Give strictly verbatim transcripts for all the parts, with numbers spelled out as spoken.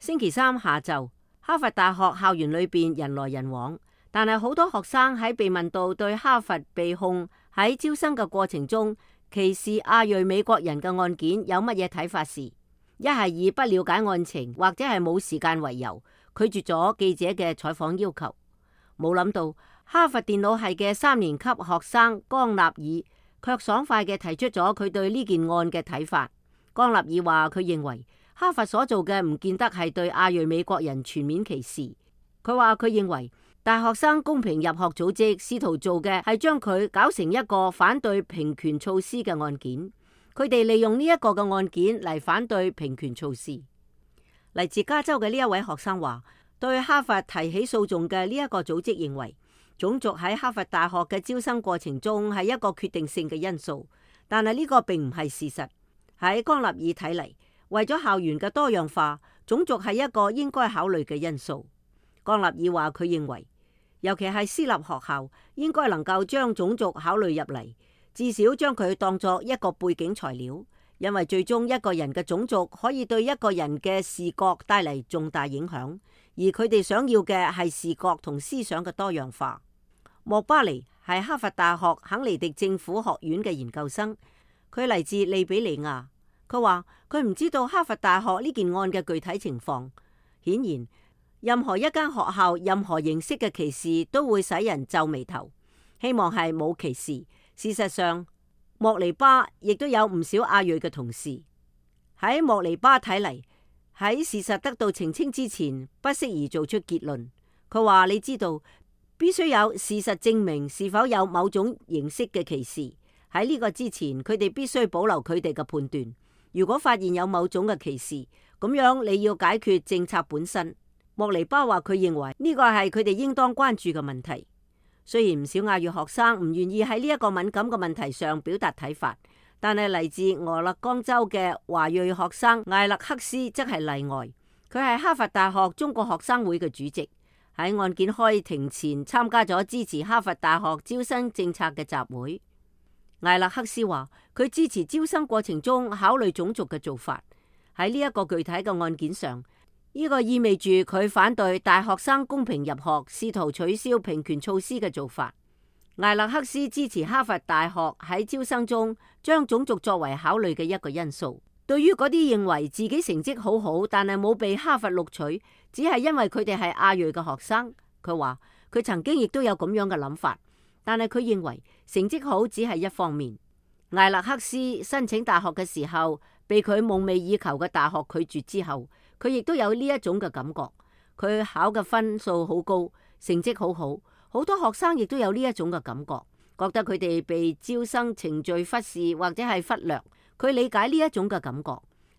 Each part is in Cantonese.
星期三下晝，哈佛大學校園裏邊人來人往，但係好多學生喺被問到對哈佛被控喺招生嘅過程中歧視亞裔美國人嘅案件有乜嘢睇法時，一係以不了解案情或者係冇時間為由拒絕咗記者嘅採訪要求。冇諗到哈佛電腦系嘅三年級學生江納爾卻爽快嘅提出咗佢對呢件案嘅睇法。江納爾話佢認為哈佛所做嘅唔見得係對亞裔美國人全面歧視。佢話佢認為大學生公平入學組織試圖做嘅係將佢搞成一個反對平權措施嘅案件。佢哋利用呢一個嘅案件嚟反對平權措施。嚟自加州嘅呢一位學生話，對哈佛提起訴訟嘅呢一個組織認為種族喺哈佛大學嘅招生過程中係一個決定性嘅因素，但係呢個並唔係事實。喺江納爾睇嚟，為咗校園嘅多樣化，種族係一個應該考慮嘅因素。江納爾話佢認為，尤其係私立學校，應該能夠將種族考慮入嚟，至少將佢當作一個背景材料，因為最終一個人嘅種族可以對一個人嘅視覺帶嚟重大影響，而佢哋想要嘅係視覺同思想嘅多樣化。莫巴尼係哈佛大學肯尼迪政府學院嘅研究生，佢嚟自利比里亞。佢話佢唔知道哈佛大學呢件案嘅具體情況。顯然，任何一間學校任何形式嘅歧視都會使人皺眉頭。希望係冇歧視。事實上，莫尼巴亦都有唔少亞裔嘅同事。喺莫尼巴睇嚟，喺事實得到澄清之前，不適宜做出結論。佢話你知道，必須有事實證明是否有某種形式嘅歧視。喺呢個之前，佢哋必須保留佢哋嘅判斷。如果發現有某種嘅歧視，咁樣你要解決政策本身。莫尼巴話佢認為呢個係佢哋應當關注嘅問題。雖然唔少亞裔學生唔願意喺呢一個敏感嘅問題上表達睇法，但係嚟自俄勒岡州嘅華裔學生艾勒克斯則係例外。佢係哈佛大學中國學生會嘅主席，喺案件開庭前參加咗支持哈佛大學招生政策嘅集會。艾勒克斯話佢支持招生過程中考慮種族嘅做法。喺呢一個具體嘅案件上，呢個意味住佢反對大學生公平入學，試圖取消平權措施嘅做法。艾勒克斯支持哈佛大學喺招生中將種族作為考慮嘅一個因素。對於嗰啲認為自己成績好好，但係冇被哈佛錄取，只係因為佢哋係亞裔嘅學生，佢話佢曾經亦都有咁樣嘅諗法。但係佢認為成績好只係一方面。艾勒克斯申請大學嘅時候，被佢夢寐以求嘅大學拒絕之後，佢亦都有呢一種嘅感覺。佢考嘅分數好高，成績好好，好多學生亦都有呢一種嘅感覺，覺得佢哋被招生程序忽視或者係忽略。佢理解呢一種嘅感覺，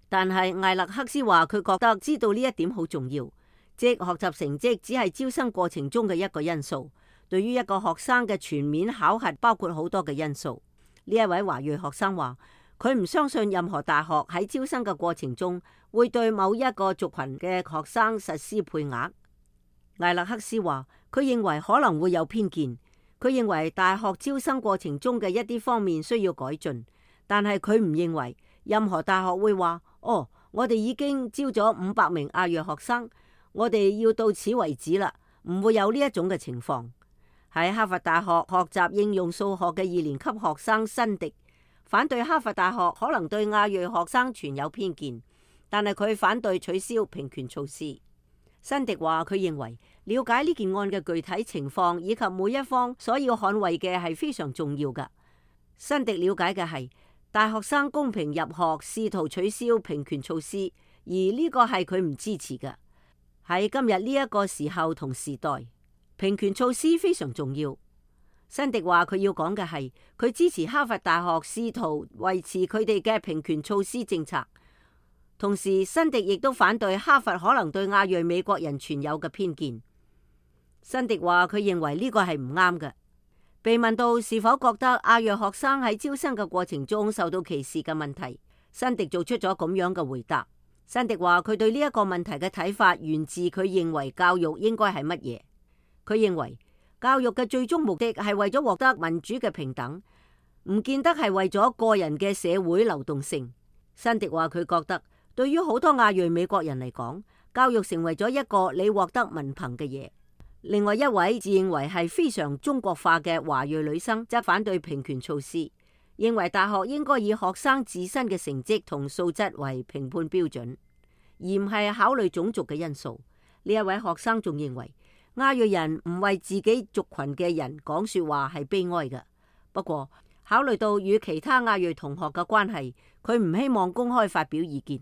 但係艾勒克斯話佢覺得知道呢一點好重要，即學習成績只係招生過程中嘅一個因素。對於一個學生嘅全面考核，包括好多嘅因素。呢一位華裔學生話，佢唔相信任何大學喺招生嘅過程中會對某一個族群嘅學生實施配額。艾勒克斯話，佢認為可能會有偏見。佢認為大學招生過程中嘅一啲方面需要改進，但係佢唔認為任何大學會話，哦，我哋已經招咗五百名亞裔學生，我哋要到此為止啦，唔會有呢一種嘅情況。喺哈佛大學學習應用數學嘅二年級學生辛迪反對哈佛大學可能對亞裔學生存有偏見，但係佢反對取消平權措施。辛迪話佢認為了解呢件案嘅具體情況以及每一方所要捍衛嘅係非常重要㗎。辛迪了解嘅係大學生公平入學試圖取消平權措施，而呢個係佢唔支持嘅。喺今日呢一個時候同時代，平權措施非常重要。辛迪話佢要講嘅係佢支持哈佛大學試圖維持佢哋嘅平權措施政策，同時辛迪亦都反對哈佛可能對亞裔美國人存有嘅偏見。辛迪話佢認為呢個係唔啱嘅。被問到是否覺得亞裔學生喺招生嘅過程中受到歧視嘅問題，辛迪做出咗咁樣嘅回答。辛迪話佢對呢一個問題嘅睇法源自佢認為教育應該係乜嘢。佢認為教育嘅最終目的係為咗獲得民主嘅平等，唔見得係為咗個人嘅社會流動性。辛迪話佢覺得對於好多亞裔美國人嚟講，教育成為咗一個你獲得文憑嘅嘢。另外一位自認為係非常中國化嘅華裔女生則反對平權措施，認為大學應該以學生自身嘅成績同素質為評判標準，而唔係考慮種族嘅因素。呢一位學生仲認為亞裔人唔為自己族群嘅人講說話係悲哀嘅。不過考慮到與其他亞裔同學嘅關係，佢唔希望公開發表意見。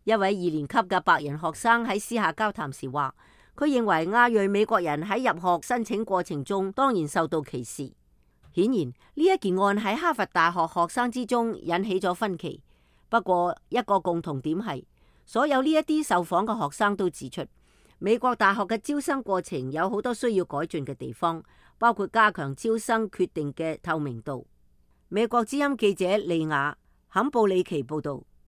一位二年級嘅白人學生喺私下交談時話，佢認為亞裔美國人喺入學申請過程中當然受到歧視。顯然呢一件案喺哈佛大學學生之中引起咗分歧。不過一個共同點係，所有呢一啲受訪嘅學生都指出，美國大學嘅招生過程有好多需要改進嘅地方，包括加強招生決定嘅透明度。美國之音記者利亞坎布里奇報道。